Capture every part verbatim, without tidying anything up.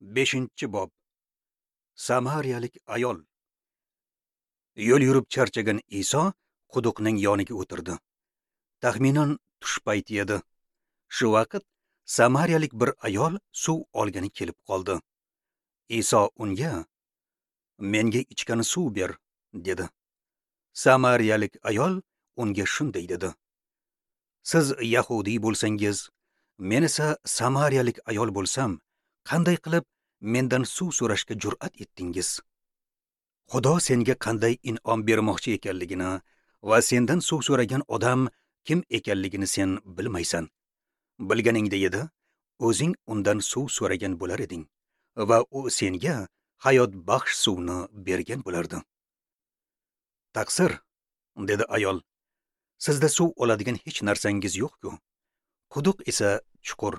Beshinchi bob. Samariyalik ayol. Yo'l yurib charchagan Iso quduqning yoniga o'tirdi. Taxminan tush payti edi. Shu vaqt samariyalik bir ayol suv olgani kelib qoldi. Iso unga: "Menga ichgani suv ber", dedi. Samariyalik ayol unga shunday dedi: "Siz yahudiy bo'lsangiz, men esa samariyalik ayol bo'lsam, qanday qilib mendan suv so'rashga jur'at etdingiz? Xudo senga qanday in'om bermoqchi ekanligini va sendan suv so'ragan odam kim ekanligini sen bilmaysan. Bilganingda edi, o'zing undan suv so'ragan bo'lar eding va u senga hayot baxsh suvni bergan bo'lardi." "Taqsir", dedi ayol, "sizda suv oladigan hech narsangiz yo'q-ku. Quduq esa chuqur.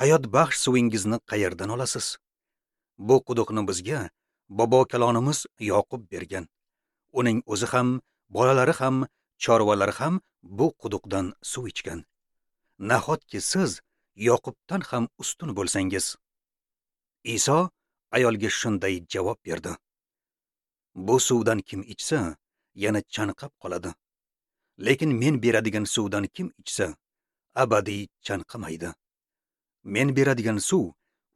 Hayot baxsh suvingizni qayerdan olasiz? Bu quduqni bizga bobo kalonimiz Yoqub bergan. Uning o'zi ham, bolalari ham, chorvalari ham bu quduqdan suv ichgan. Nahotki siz Yoqubdan ham ustun bo'lsangiz?" Iso ayolga shunday javob berdi: "Bu suvdan kim ichsa, yana chanqab qoladi. Lekin men beradigan suvdan kim ichsa, abadiy chanqamaydi. Men beradigan suv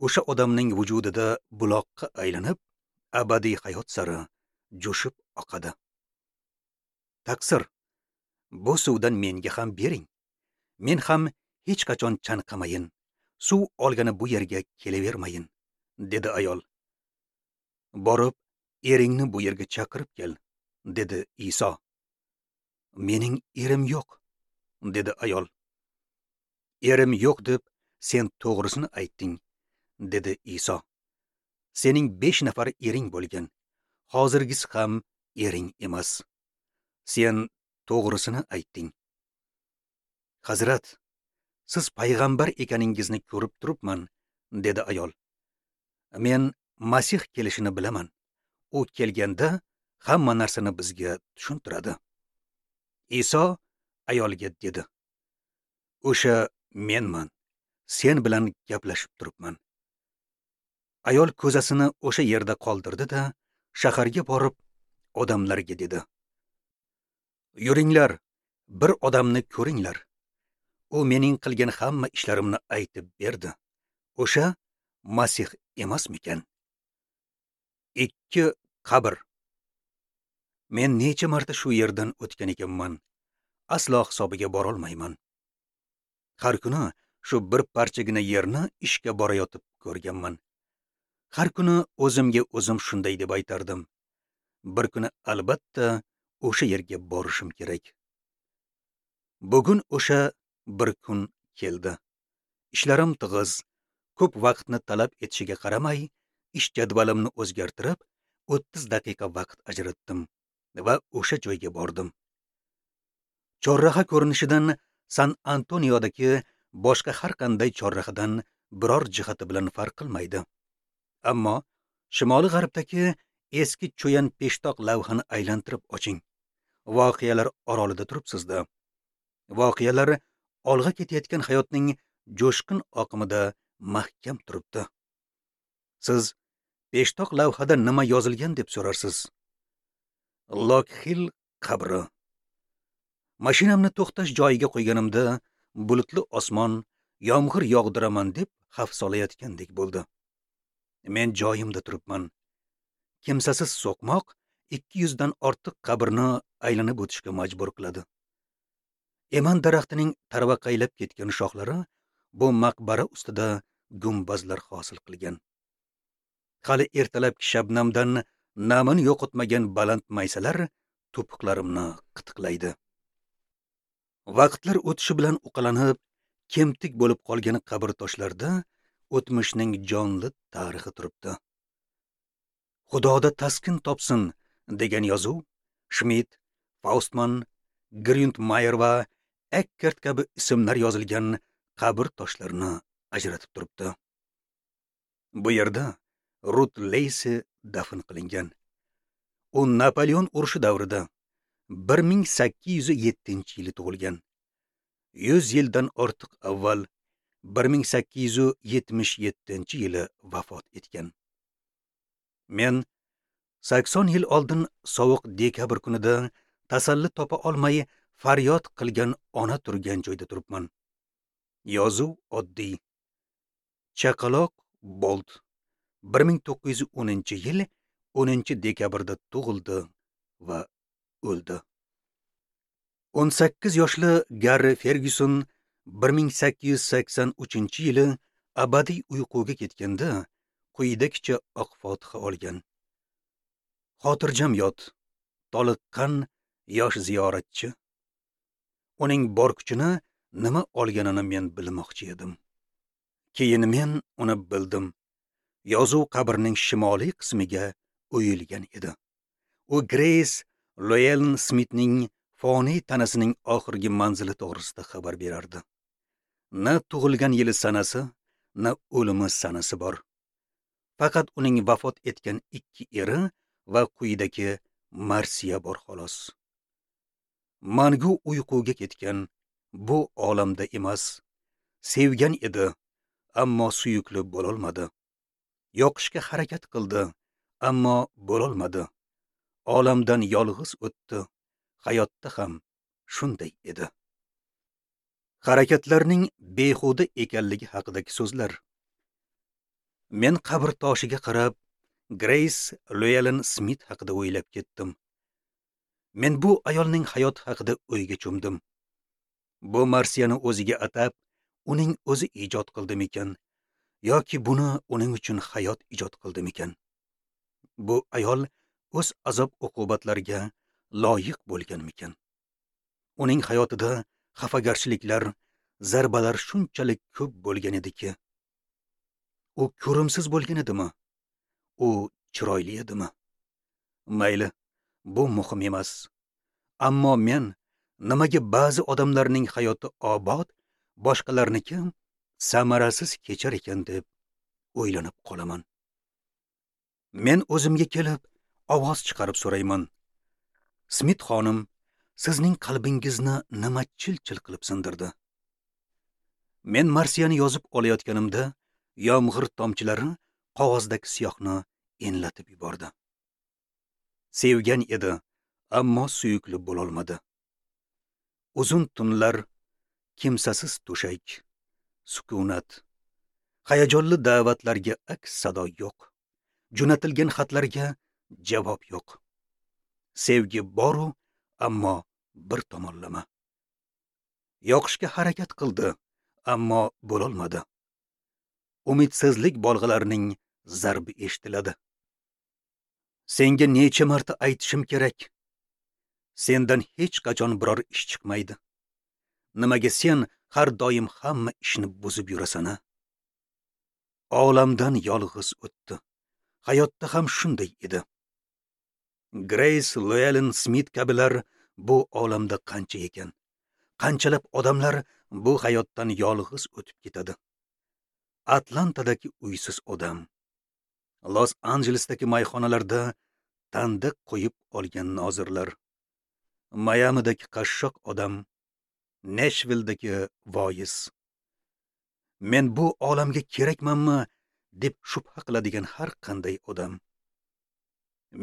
o'sha odamning vujudida buloqqa aylanib, abadiy hayot sari jo'shib oqadi." "Taqsir, bu suvdan menga ham bering. Men ham hech qachon chanqamayin, suv olgani bu yerga kelavermayin", dedi ayol. "Borib, eringni bu yerga chaqirib kel", dedi Iso. "Mening erim yo'q", dedi ayol. "Erim yo'q deb sen to'g'risini aytding", dedi Iso. "Sening besh nafar ering bo'lgan. Hozirgisi ham ering emas. Sen to'g'risini aytding." "Hazrat, siz payg'ambar ekaningizni ko'rib turibman", dedi ayol. "Men Masih kelishini bilaman. U kelganda hamma narsani bizga tushuntiradi." Iso ayolga dedi: "O'sha menman. Sen bilan gaplashib turibman." Ayol ko'zasini o'sha yerda qoldirdi-da, shaharga borib odamlarga dedi: "Yuringlar, bir odamni ko'ringlar. U mening qilgan hamma ishlarimni aytib berdi. O'sha Masih emasmikan?" Ikki qabr. Men necha marta shu yerdan o'tgan ekanman, aslo hisobiga borolmayman. Har kuni shu bir parchagina yerni ishga borayotib ko'rganman. Har kuni o'zimga o'zim shunday deb aytardim: bir kuni albatta o'sha yerga borishim kerak. Bugun o'sha bir kun keldi. Ishlarim tig'iz, ko'p vaqtni talab etishiga qaramay, ish jadvalimni o'zgartirib, o'ttiz daqiqa vaqt ajratdim va o'sha joyga bordim. Chorraha ko'rinishidan San Antoniodagi boshqa har qanday chorrahadan biror jihati bilan farq qilmaydi. Ammo shimoli g'arbdagi eski cho'yan peshtoq lavhani aylantirib oching. Voqealar orolida turibsizda. Voqealar olg'a ketayotgan hayotning jo'shqin oqimida mahkam turibdi. Siz peshtoq lavhada nima yozilgan deb so'rarsiz. Lokxil qabri. Mashinamni to'xtash joyiga qo'yganimda bulutli osmon yomg'ir yog'diraman deb xavf solayotgandek bo'ldi. Men joyimda turibman. Kimsasiz so'qmoq ikki yuzdan ortiq qabrni aylanib o'tishga majbur qiladi. Eman daraxtining tarvaqaylab ketgan shoxlari bu maqbara ustida gumbazlar hosil qilgan. Hali ertalabki shabnamdan namini yo'qotmagan baland maysalar to'piqlarimni qitiqlaydi. Vaqtlar o'tishi bilan uqalanib, kemtik bo'lib qolgan qabr toshlarida o'tmishning jonli tarixi turibdi. "Xudoda taskin topsin" degan yozuv Schmidt, Faustman, Gründmayer va Eckert kabi ismlar yozilgan qabr toshlarini ajratib turibdi. Bu yerda Rut Leysi dafn qilingan. U Napoleon urushi davrida bir ming sakkiz yuz yettinchi yili tug'ilgan. yuz yildan ortiq avval bir ming sakkiz yuz yetmish yettinchi yili vafot etgan. Men sakson yil oldin sovuq dekabr kunida tasalli topa olmay faryod qilgan ona turgan joyda turibman. Yozuv oddiy. Chaqaloq Bolt bir ming to'qqiz yuz o'ninchi yil o'ninchi dekabrda tug'ildi va o'ldi. o'n sakkiz yoshli Garri Fergyuson bir ming sakkiz yuz sakson uchinchi yili abadiy uyquga ketganda quyidagicha oq fotiha olgan. Xotirjam yot, toliqqan yosh ziyoratchi. Uning bor kuchini nima olganini men bilmoqchi edim. Keyin men uni bildim. Yozuv qabrning shimoliy qismiga o'yilgan edi. U Greys Llewellyn Smithning foniy tanasining oxirgi manzili to'g'risida xabar berardi. Na tug'ilgan yili sanasi, na o'limi sanasi bor. Faqat uning vafot etgan ikki eri va quyidagi marsiya bor xolos. Mangu uyquga ketgan, bu olamda emas. Sevgan edi, ammo suyukli bo'lolmadi. Yoqishga harakat qildi, ammo bo'lolmadi. Olamdan yolg'iz o'tdi. Hayotda ham shunday edi. Harakatlarning behuda ekanligi haqidagi so'zlar. Men qabr toshiga qarab Greys Llewellyn Smith haqida o'ylab ketdim. Men bu ayolning hayoti haqida o'yga cho'mdim. Bu marsiyani o'ziga atab, uning o'zi ijod qildimikan yoki buni uning uchun hayot ijod qildimikan? Bu ayol o'z azob-uqubatlariga loyiq bo'lganmikan? Uning hayotida xafagarchiliklar, zarbalar shunchalik ko'p bo'lgan ediki. U ko'rimsiz bo'lgan edimi? U chiroyli edimi? Mayli, bu muhim emas. Ammo men nimaga ba'zi odamlarning hayoti obod, boshqalarniki samarasiz kechar ekan deb o'ylanib qolaman. Men o'zimga kelib ovoz chiqarib so'rayman. Smith xonim, sizning qalbingizni nima chil-chil qilib sindirdi? Men marsiyani yozib olayotganimda yomg'ir tomchilari qog'ozdagi siyohni enlatib yubordi. Sevgan edi, ammo suyukli bo'lolmadi. Uzun tunlar, kimsasiz to'shak, sukunat, hayajonli da'vatlarga aks sado yo'q, jo'natilgan xatlarga javob yo'q. Sevgi boru, ammo bir tomonlama. Yoqishga harakat qildi, ammo bo'lolmadi. Umidsizlik bolg'alarining zarbi eshitiladi. Senga necha marta aytishim kerak? Sendan hech qachon biror ish chiqmaydi. Nimaga sen har doim hamma ishni buzib yurasan-a? Olamdan yolg'iz o'tdi. Hayotda ham shunday edi. Greys Llewellyn Smith kabilar bu olamda qancha ekan? Qanchalab odamlar bu hayotdan yolg'iz o'tib ketadi. Atlantadagi uysiz odam, Los Anjelesdagi mayxonalarda tandiq qo'yib olgan nozirlar, Mayamidagi qashshoq odam, Nashvildagi voiz. Men bu olamga kerakmanmi deb shubha qiladigan har qanday odam.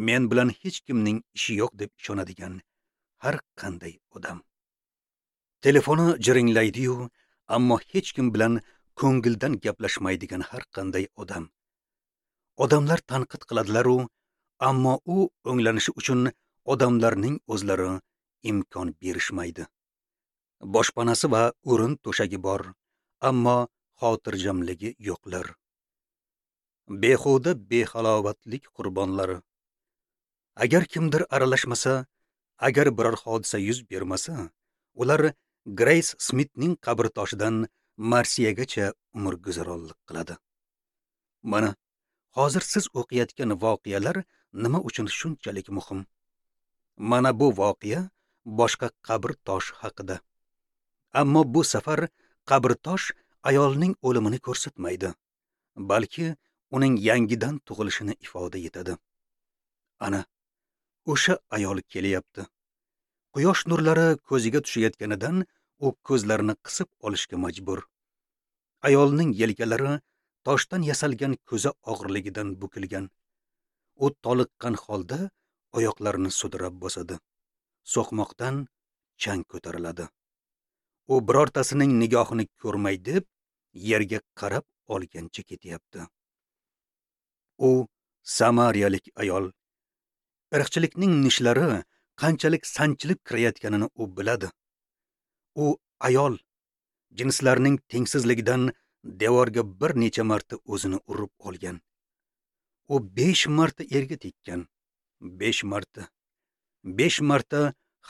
Men bilan hech kimning ishi yo'q deb ishonadigan har qanday odam. Telefoni jiringlaydi-yu, ammo hech kim bilan ko'ngildan gaplashmaydigan har qanday odam. Odamlar tanqid qiladilar-u, ammo u o'nglanishi uchun odamlarning o'zlari imkon berishmaydi. Boshpanasi va o'rin to'shagi bor, ammo xotirjamligi yo'qlar. Behuda behalovatlik qurbonlari. Agar kimdir aralashmasa, agar biror hodisa yuz bermasa, ular Greys Smithning qabr toshidan marsiyagacha umr guzaronlik qiladi. Mana hozir siz o'qiyotgan voqealar nima uchun shunchalik muhim? Mana bu voqea boshqa qabr toshi haqida. Ammo bu safar qabr tosh ayolning o'limini ko'rsatmaydi, balki uning yangidan tug'ilishini ifoda etadi. Ana o'sha ayol kelyapti. Quyosh nurlari ko'ziga tushayotganidan u ko'zlarini qisib olishga majbur. Ayolning yelkalari toshdan yasalgan ko'za og'irligidan bukilgan. U toliqqan holda oyoqlarini sudrab bosadi. So'qmoqdan chang ko'tariladi. U birortasining nigohini ko'rmay deb yerga qarab olgancha ketyapti. U samariyalik ayol. Irqchilikning nishlari qanchalik sanchilib kirayotganini u biladi. U ayol jinslarning tengsizligidan devorga bir necha marta o'zini urib olgan. U besh marta erga tekkan. Besh marta. Besh marta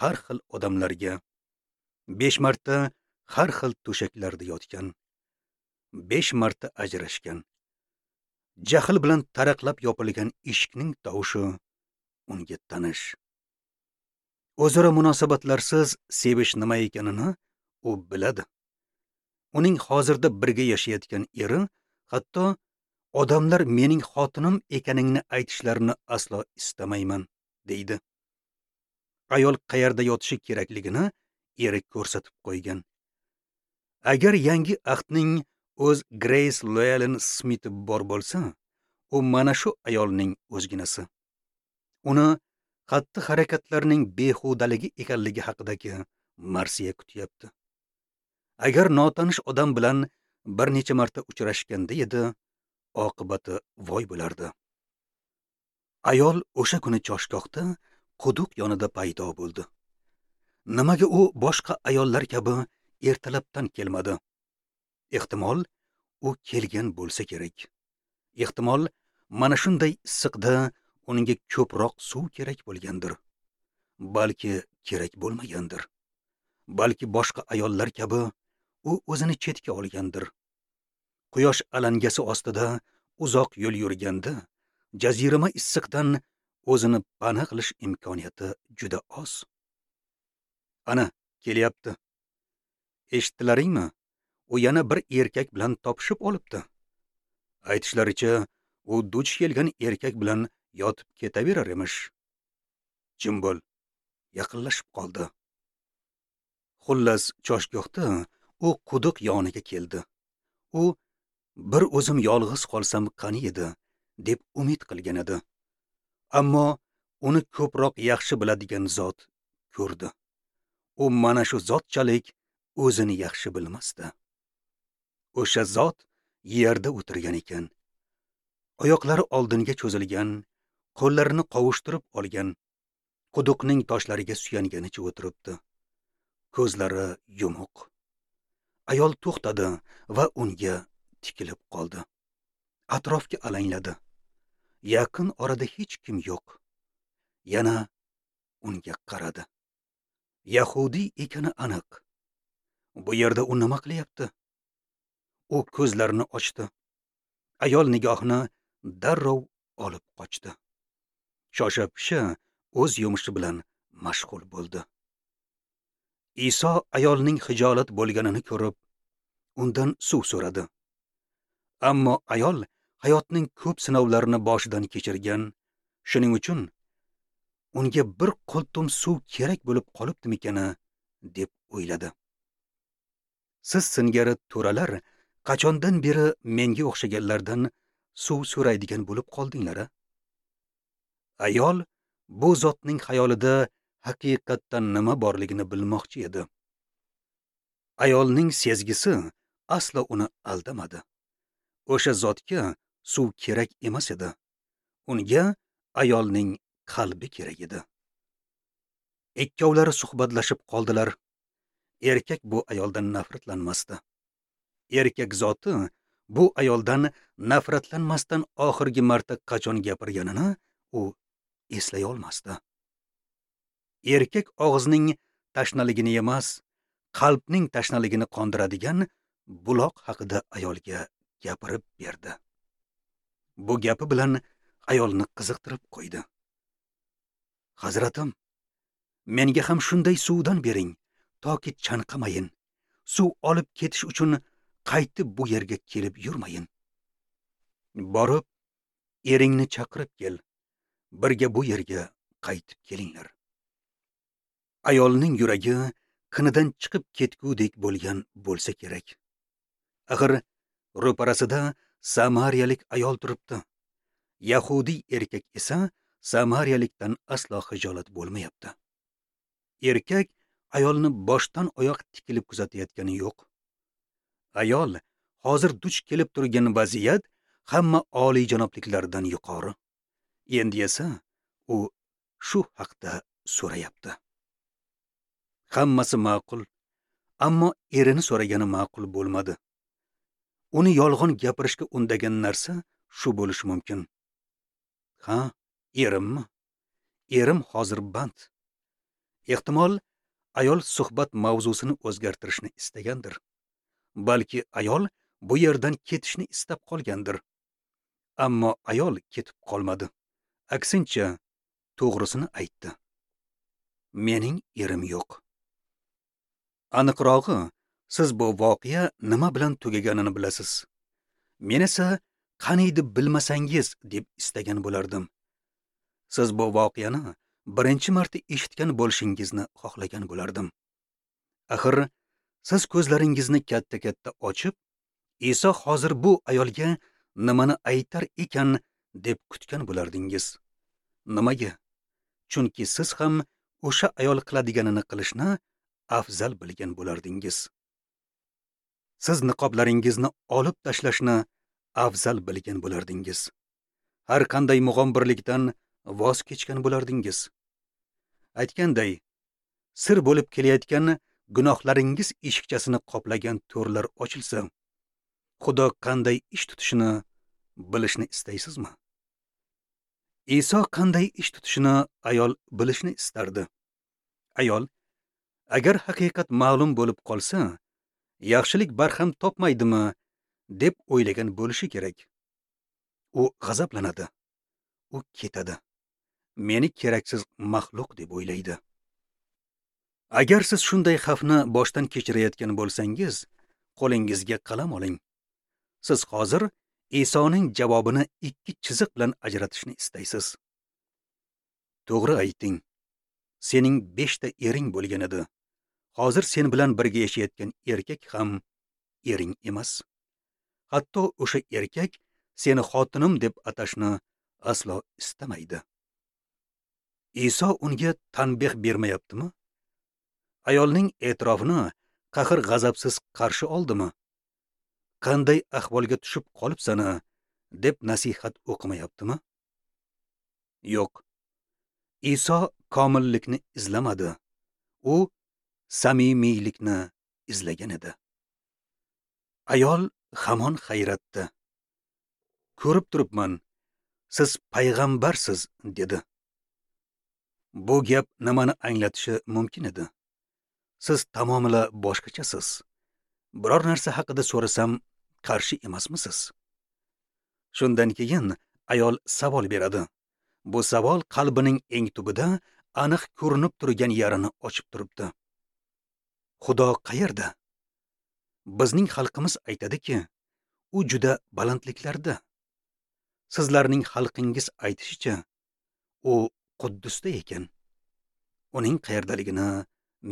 har xil odamlarga, besh marta har xil to'shaklarda yotgan. Besh marta ajrashgan. Jahl bilan taraqlab yopilgan eshikning tovushi unga tanish. O'zaro munosabatlarsiz sevish nima ekanini u biladi. Uning hozirda birga yashayotgan eri hatto odamlar mening xotinim ekaningni aytishlarini aslo istamayman, deydi. Ayol qayerda yotishi kerakligini eri ko'rsatib qo'ygan. Agar yangi ahdning o'z Grace Llewellyn Smith bor bo'lsa, u mana shu ayolning o'zginasi. Uni xatti-harakatlarning behudaligi ekanligi haqidagi marsiya kutyapti. Agar notanish odam bilan bir necha marta uchrashganda edi, oqibati voy bo'lardi. Ayol o'sha kuni choshgohda quduq yonida paydo bo'ldi. Nimaga u boshqa ayollar kabi ertalabdan kelmadi? Ehtimol u kelgan bo'lsa kerak. Ehtimol mana shunday issiqda unga ko'proq suv kerak bo'lgandir. Balki kerak bo'lmagandir. Balki boshqa ayollar kabi u o'zini chetga olgandir. Quyosh alangasi ostida uzoq yo'l yurganda jazirama issiqdan o'zini pana qilish imkoniyati juda oz. Ana, kelyapti. Eshitdilaringmi? U yana bir erkak bilan topishib olibdi. Aytishlaricha, u duch kelgan erkak bilan yotib ketaverar emish. Jim bo'l. Yaqinlashib qoldi. Xullas, choshgohda u quduq yoniga keldi. U bir o'zim yolg'iz qolsam qani edi, deb umid qilgan edi. Ammo uni ko'proq yaxshi biladigan zot ko'rdi. U mana shu zotchalik o'zini yaxshi bilmasdi. O'sha zot yerda o'tirgan ekan. Oyoqlari oldinga cho'zilgan, qo'llarini qovushtirib olgan, quduqning toshlariga suyanganicha o'tiribdi. Ko'zlari yumuq. Ayol to'xtadi va unga tikilib qoldi. Atrofga alangladi. Yaqin orada hech kim yo'q. Yana unga qaradi. Yahudiy ekani aniq. Bu yerda u nima qilyapti? U ko'zlarini ochdi. Ayol nigohini darrov olib qochdi. Shosha-pisha o'z yumushi bilan mashg'ul bo'ldi. Iso ayolning hijolat bo'lganini ko'rib, undan suv so'radi. Ammo ayol hayotning ko'p sinovlarini boshidan kechirgan, shuning uchun unga bir qultum suv kerak bo'lib qolibdimikana deb o'yladi. Siz singari to'ralar qachondan beri menga o'xshaganlardan suv so'raydigan bo'lib qoldinglar a? Ayol bu zotning xayolida haqiqatdan nima borligini bilmoqchi edi. Ayolning sezgisi aslo uni aldamadi. O'sha zotga suv kerak emas edi. Unga ayolning qalbi kerak edi. Ikkovlari suhbatlashib qoldilar. Erkak bu ayoldan nafratlanmasdi. Erkak zoti bu ayoldan nafratlanmasdan oxirgi marta qachon gapirganini u eslay olmasdi. Erkak og'izning tashnaligini emas, qalbning tashnaligini qondiradigan buloq haqida ayolga gapirib berdi. Bu gapi bilan ayolni qiziqtirib qo'ydi. Hazratim, menga ham shunday suvdan bering, toki chanqamayin. Suv olib ketish uchun qaytib bu yerga kelib yurmayin. Borib, eringni chaqirib kel. Birga bu yerga qaytib kelinglar. Ayolning yuragi qinidan chiqib ketgudek bo'lgan bo'lsa kerak. Axir Ro'parasida samariyalik ayol turibdi. Yahudiy erkak esa samariyalikdan aslo xijolat bo'lmayapti. Erkak ayolni boshdan oyoq tikilib kuzatayotgani yo'q. Ayol hozir duch kelib turgan vaziyat hamma oliyjanobliklardan yuqori. Endi esa u shu haqda so'rayapti. Hammasi ma'qul, ammo erini so'ragani ma'qul bo'lmadi. Uni yolg'on gapirishga undagan narsa shu bo'lishi mumkin. Ha, erimmi? Erim hozir band. Ehtimol ayol suhbat mavzusini o'zgartirishni istagandir. Balki ayol bu yerdan ketishni istab qolgandir. Ammo ayol ketib qolmadi. Aksincha, to'g'risini aytdi. Mening erim yo'q. Aniqrog'i, siz bu voqea nima bilan tugaganini bilasiz. Men esa qaniydi bilmasangiz deb istagan bo'lardim. Siz bu voqeani birinchi marta eshitgan bo'lishingizni xohlagan bo'lardim. Axir siz ko'zlaringizni katta-katta ochib, Iso hozir bu ayolga nimani aytar ekan deb kutgan bo'lardingiz. Nimaga? Chunki siz ham o'sha ayol qiladiganini qilishni afzal bilgan bo'lardingiz. Siz niqoblaringizni olib tashlashni afzal bilgan bo'lardingiz. Har qanday mug'ombirlikdan voz kechgan bo'lardingiz. Aytganday, sir bo'lib kelayotgan gunohlaringiz eshikchasini qoplagan to'rlar ochilsa, Xudo qanday ish tutishini bilishni istaysizmi? Iso qanday ish tutishini ayol bilishni istardi. Ayol, agar haqiqat ma'lum bo'lib qolsa, yaxshilik barham topmaydimi deb o'ylagan bo'lishi kerak. U g'azablanadi. U ketadi. Meni keraksiz maxluq deb o'ylaydi. Agar siz shunday xavfni boshdan kechirayotgan bo'lsangiz, qo'lingizga qalam oling. Siz hozir Isoning javobini ikki chiziq bilan ajratishni istaysiz. To'g'ri ayting. Sening beshta ering bo'lgan edi. Hozir sen bilan birga yashayotgan erkak ham ering emas. Hatto o'sha erkak seni xotinim deb atashni aslo istamaydi. Iso unga tanbeh bermayaptimi? Ayolning e'tirofini qahr-g'azabsiz qarshi oldimi? Qanday ahvolga tushib qolibsan-a deb nasihat o'qimayaptimi? Yo'q. Iso komillikni izlamadi. U samimiylikni izlagan edi. Ayol hamon hayratda. Ko'rib turibman, siz payg'ambarsiz, dedi. Bu gap nimani anglatishi mumkin edi? Siz tamomila boshqachasiz. Biror narsa haqida so'rasam, qarshi emasmisiz? Shundan keyin ayol savol beradi. Bu savol qalbining eng tubida aniq ko'rinib turgan yarini ochib turibdi. Xudo qayerda? Bizning xalqimiz aytadiki, u juda balandliklarda. Sizlarning xalqingiz aytishicha, u Quddusda ekan. Uning qayerdaligini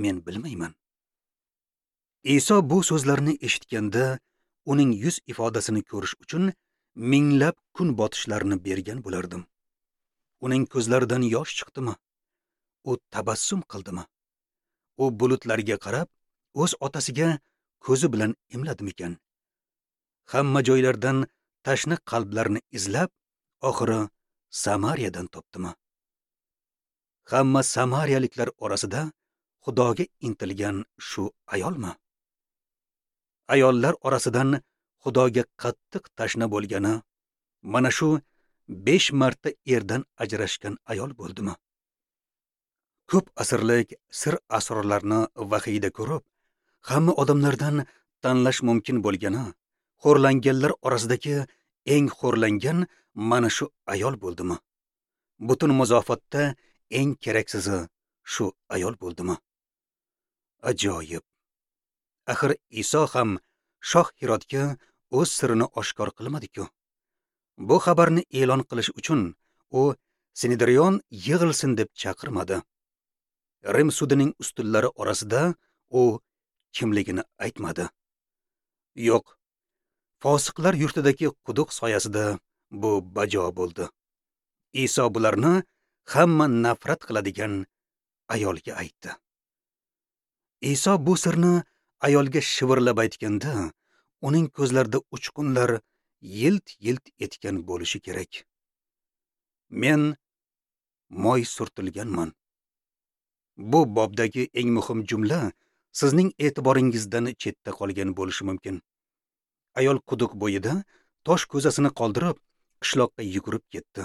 men bilmayman. Iso bu so'zlarni eshitganda uning yuz ifodasini ko'rish uchun minglab kun botishlarini bergan bo'lardim. Uning ko'zlaridan yosh chiqdimi? U tabassum qildimi? U bulutlarga qarab, o'z otasiga ko'zi bilan imladimikan? Hamma joylardan tashna qalblarni izlab, oxiri Samariyadan topdimi? Hamma samariyaliklar orasida Xudoga intilgan shu ayolmi? Ayollar orasidan Xudoga qattiq tashna bo'lgani mana shu besh marta erdan ajrashgan ayol bo'ldimi? Ko'p asrlik sir asrorlarni vahiyda ko'rib, hamma odamlardan tanlash mumkin bo'lgani, xo'rlanganlar orasidagi eng xo'rlangan mana shu ayol bo'ldimi? Butun muzofatda eng keraksizi shu ayol bo'ldimi? Ajoyib. Axir Iso ham shoh Hirodga o'z sirini oshkor qilmadi-ku. Bu xabarni e'lon qilish uchun u Sinedrion yig'ilsin deb chaqirmadi. Rim sudining ustunlari orasida u kimligini aytmadi. Yo'q. Fosiqlar yurtidagi quduq soyasida bu bajo bo'ldi. Iso bularni hamma nafrat qiladigan ayolga aytdi. Iso bu sirni ayolga shivirlab aytganda, uning ko'zlarida uchqunlar yilt-yilt etgan bo'lishi kerak. Men moy surtilganman. Bu bobdagi eng muhim jumla sizning e'tiboringizdan chetda qolgan bo'lishi mumkin. Ayol quduq bo'yida tosh ko'zasini qoldirib, qishloqqa yugurib ketdi.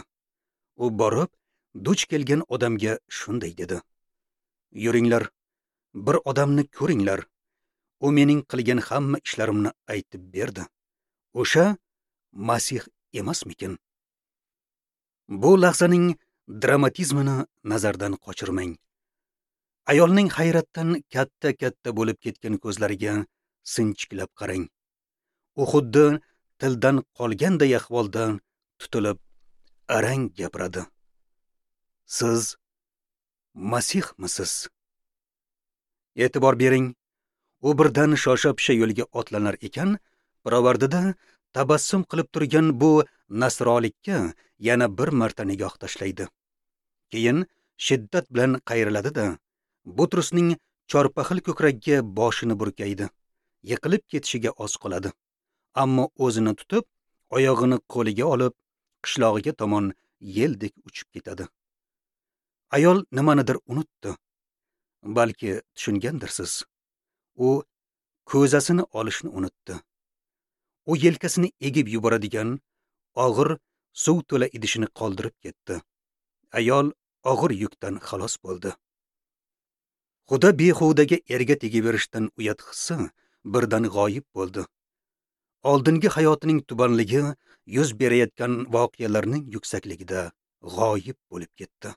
U borib, duch kelgan odamga shunday dedi: "Yuringlar, bir odamni ko'ringlar. U mening qilgan hamma ishlarimni aytib berdi. O'sha Masih emasmikin?" Bu lahzaning dramatizmini nazardan qochirmang. Ayolning hayratdan katta-katta bo'lib ketgan ko'zlariga sinchiklab qarang. U xuddi tildan qolganday ahvolda tutilib arang gapiradi. Siz Masihmisiz? E'tibor bering, u birdan shosha-pisha yo'lga otlanar ekan, pirovardida tabassum qilib turgan bu nasrolikka yana bir marta nigoh tashlaydi. Keyin shiddat bilan qayriladi-da, Butrusning chorpaxil ko'kragiga boshini burkaydi. Yiqilib ketishiga oz qoladi. Ammo o'zini tutib, oyog'ini qo'liga olib, qishlog'iga tomon yeldek uchib ketadi. Ayol nimanidir unutdi. Balki tushungandirsiz. U ko'zasini olishni unutdi. U yelkasini egib yuboradigan og'ir suv to'la idishini qoldirib ketdi. Ayol og'ir yukdan xalos bo'ldi. Xudo behudaga erga tegaverishdan uyat hissi birdan g'oyib bo'ldi. Oldingi hayotining tubanligi yuz berayotgan voqealarning yuksakligida g'oyib bo'lib ketdi.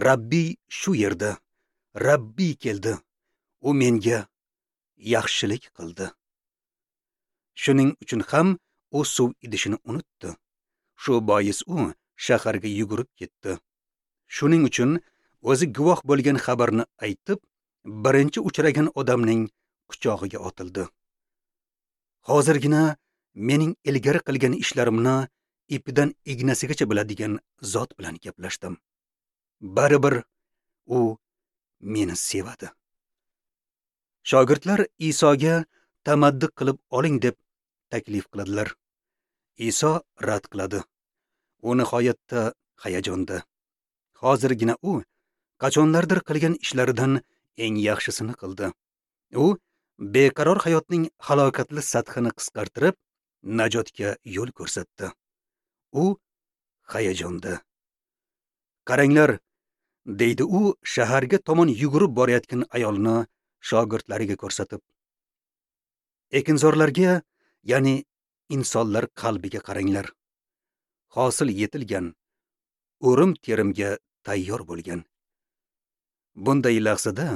Rabbiy shu yerda, Rabbiy keldi. U menga yaxshilik qildi. Shuning uchun ham u suv idishini unutdi. Shu bois u shaharga yugurib ketdi. Shuning uchun o'zi guvoh bo'lgan xabarni aytib, birinchi uchragan odamning quchog'iga otildi. Hozirgina mening ilgari qilgan ishlarimni ipidan ignasigacha biladigan zot bilan gaplashdim. Baribir u meni sevadi. Shogirdlar Isoga tamaddi qilib oling deb taklif qiladilar. Iso rad qiladi. U nihoyatda hayajonda. Hozirgina u qachonlardir qilgan ishlaridan eng yaxshisini qildi. U beqaror hayotning halokatli sathini qisqartirib, najotga yo'l ko'rsatdi. U hayajonda. Qaranglar, deydi u shaharga tomon yugurib borayotgan ayolni shogirdlariga ko'rsatib. Ekinzorlarga, ya'ni insonlar qalbiga qaranglar. Hosil yetilgan, o'rim terimga tayyor bo'lgan. Bunday lahzada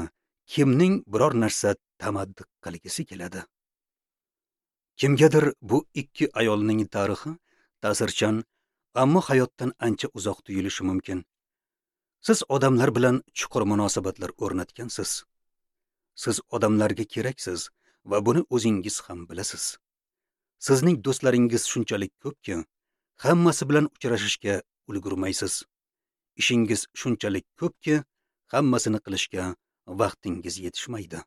kimning biror narsa tamaddi qilgisi keladi? Kimgadir bu ikki ayolning tarixi ta'sirchan, ammo hayotdan ancha uzoq tuyulishi mumkin. Siz odamlar bilan chuqur munosabatlar o'rnatgansiz. Siz odamlarga keraksiz va buni o'zingiz ham bilasiz. Sizning do'stlaringiz shunchalik ko'pki, hammasi bilan uchrashishga ulgurmaysiz. Ishingiz shunchalik ko'pki, hammasini qilishga vaqtingiz yetishmaydi.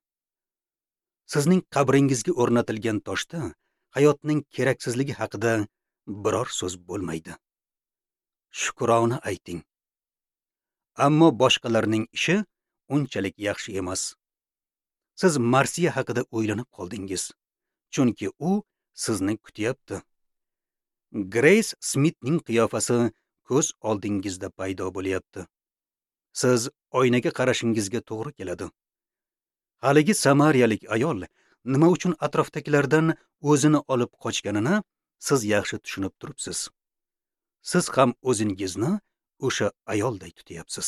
Sizning qabringizga o'rnatilgan toshda hayotning keraksizligi haqida biror so'z bo'lmaydi. Shukrona ayting. Ammo boshqalarning ishi unchalik yaxshi emas. Siz marsiya haqida o'ylanib qoldingiz, chunki u sizni kutyapti. Grace Smithning qiyofasi ko'z oldingizda paydo bo'lyapti. Siz oynaga qarashingizga to'g'ri keladi. Haligi samariyalik ayol nima uchun atrofdagilardan o'zini olib qochganini siz yaxshi tushunib turibsiz. Siz ham o'zingizni o'sha ayolday tutyapsiz.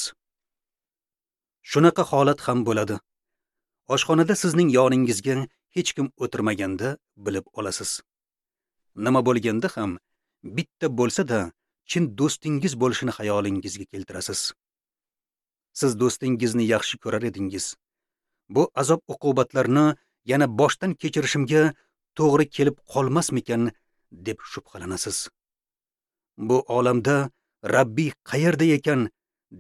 Shunaqa holat ham bo'ladi. Oshxonada sizning yoningizga hech kim o'tirmaganda bilib olasiz. Nima bo'lganda ham bitta bo'lsa-da chin do'stingiz bo'lishini xayolingizga keltirasiz. Siz do'stingizni yaxshi ko'rar edingiz. Bu azob uqubatlarni yana boshdan kechirishimga to'g'ri kelib qolmasmikan deb shubhalanasiz. Bu olamda Rabbiy qayerda ekan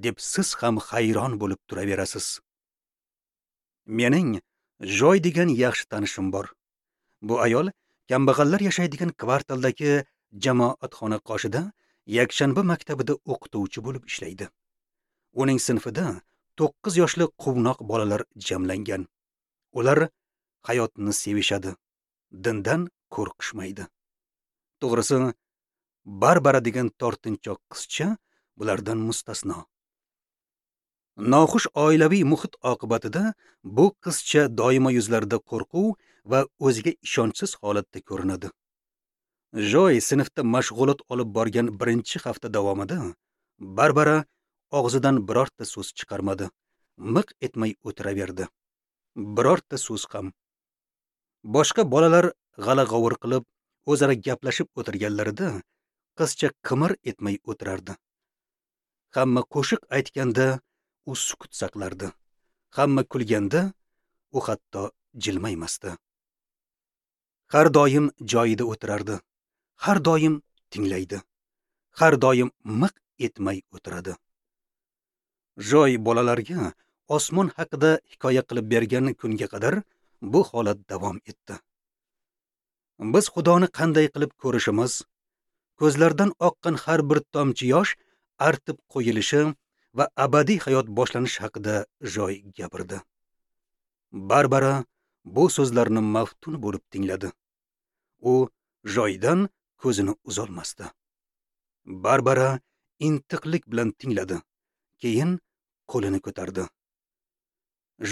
deb siz ham hayron bo'lib turaverasiz. Mening Joy degan yaxshi tanishim bor. Bu ayol kambag'allar yashaydigan kvartaldagi jamoatxona qoshida yakshanba maktabida o'qituvchi bo'lib ishlaydi. Uning sinfida to'qqiz yoshli quvnoq bolalar jamlangan. Ular hayotni sevishadi, dindan qo'rqishmaydi. To'g'risi, Barbara degan tortinchoq qizcha bulardan mustasno. Noxush oilaviy muhit oqibatida bu qizcha doimo yuzlarida qo'rquv va o'ziga ishonchsiz holatda ko'rinadi. Joy sinfda mashg'ulot olib borgan birinchi hafta davomida Barbara og'zidan birorta so'z chiqarmadi, miq etmay o'tiraverdi. Birorta so'z ham. Boshqa bolalar g'ala-g'ovur qilib, o'zaro gaplashib o'tirganlarida qizcha qimir etmay o'tirardi. Hamma qo'shiq aytganda u sukut saqlardi. Hamma kulganda u hatto jilmaymasdi. Har doim joyida o'tirardi. Har doim tinglaydi. Har doim miq etmay o'tiradi. Joy bolalarga osmon haqida hikoya qilib bergan kunga qadar bu holat davom etdi. Biz Xudoni qanday qilib ko'rishimiz, ko'zlardan oqqan har bir tomchi yosh artib qo'yilishi va abadiy hayot boshlanishi haqida Joy gapirdi. Barbara bu so'zlarni maftun bo'lib tingladi. U Joydan ko'zini uzolmasdi. Barbara intiqlik bilan tingladi. Keyin qo'lini ko'tardi.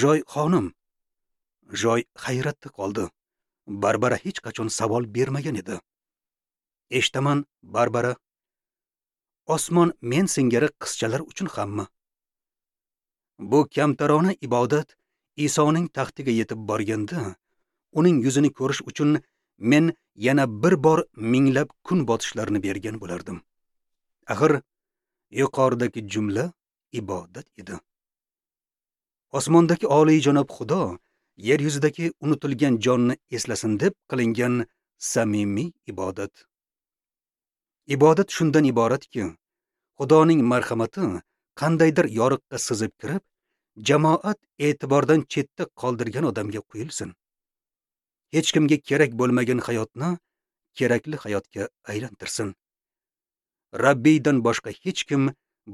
Joy xonim. Joy hayratda qoldi. Barbara hech qachon savol bermagan edi. Eshitaman, Barbara. Osmon men singari qizchalar uchun hammi? Bu kamtarona ibodat Isoning taxtiga yetib borganda, uning yuzini ko'rish uchun men yana bir bor minglab kun botishlarini bergan bo'lardim. Axir yuqoridagi jumla ibodat edi. Osmondagi oliyjanob Xudo yer yuzidagi unutilgan jonni eslasin deb qilingan samimiy ibodat. Ibodat shundan iboratki, Xudoning marhamati qandaydir yoriqqa sizib kirib, jamoat e'tibordan chetda qoldirgan odamga quyilsin. Hech kimga kerak bo'lmagan hayotni kerakli hayotga aylantirsin. Rabbiydan boshqa hech kim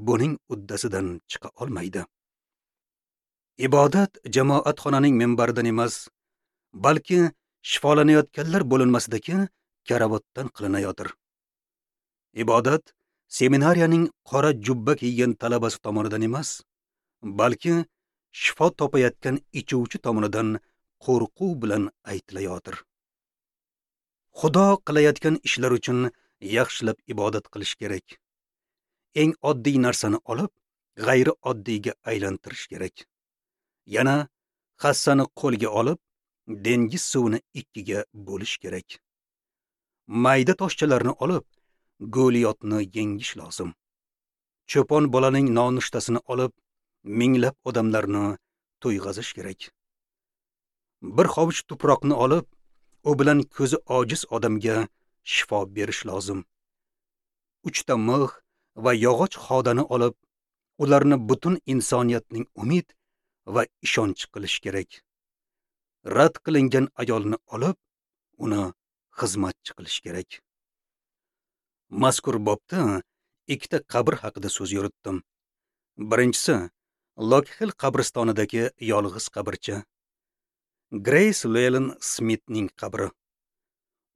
buning uddasidan chiqa olmaydi. Ibodat jamoatxonaning minbaridan emas, balki shifolanayotganlar bo'linmasidagi karavotdan qilinayotir. Ibodat seminariyaning qora jubba kiygan talabasi tomonidan emas, balki shifo topayotgan ichuvchi tomonidan qo'rquv bilan aytilayotir. Xudo qilayotgan ishlar uchun yaxshilab ibodat qilish kerak. Eng oddiy narsani olib, g'ayri oddiyga aylantirish kerak. Yana hassani qo'lga olib, dengiz suvini ikkiga bo'lish kerak. Mayda toshchalarni olib, Goliyotni yengish lozim. Cho'pon bolaning nonushtasini olib, minglab odamlarni to'yg'azish kerak. Bir hovuch tuproqni olib, u bilan ko'zi ojiz odamga shifo berish lozim. Uchta mix va yog'och xodani olib, ularni butun insoniyatning umid va ishonch qilish kerak. Rad qilingan ayolni olib, uni xizmatchi qilish kerak. Mazkur bobda ikkita qabr haqida so'z yuritdim. Birinchisi Lokxil qabristonidagi yolg'iz qabrcha. Grace Llewellyn Smithning qabri.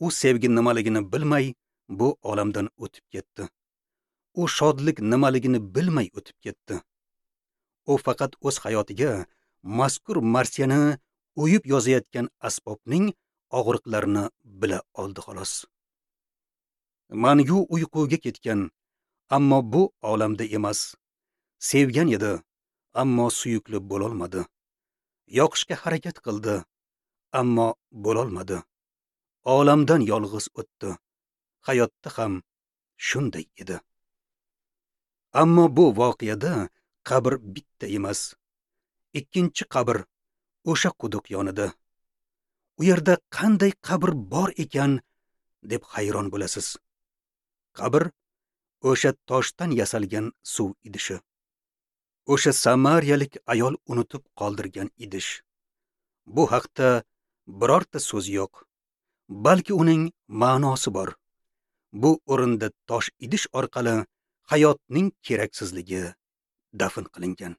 U sevgi nimaligini bilmay bu olamdan o'tib ketdi. U shodlik nimaligini bilmay o'tib ketdi. U faqat o'z hayotiga mazkur marsiyani o'yib yozayotgan asbobning og'riqlarini bila oldi xolos. Mangu uyquga ketgan, ammo bu olamda emas. Sevgan edi, ammo suyukli bo'lolmadi. Yoqishga harakat qildi, ammo bo'lolmadi. Olamdan yolg'iz o'tdi. Hayotda ham shunday edi. Ammo bu voqeada qabr bitta emas. Ikkinchi qabr o'sha quduq yonida. U yerda qanday qabr bor ekan deb hayron bo'lasiz. Qabr o'sha toshdan yasalgan suv idishi. O'sha samariyalik ayol unutib qoldirgan idish. Bu haqda birorta so'z yo'q. Balki uning ma'nosi bor. Bu o'rinda tosh idish orqali hayotning keraksizligi dafn qilingan.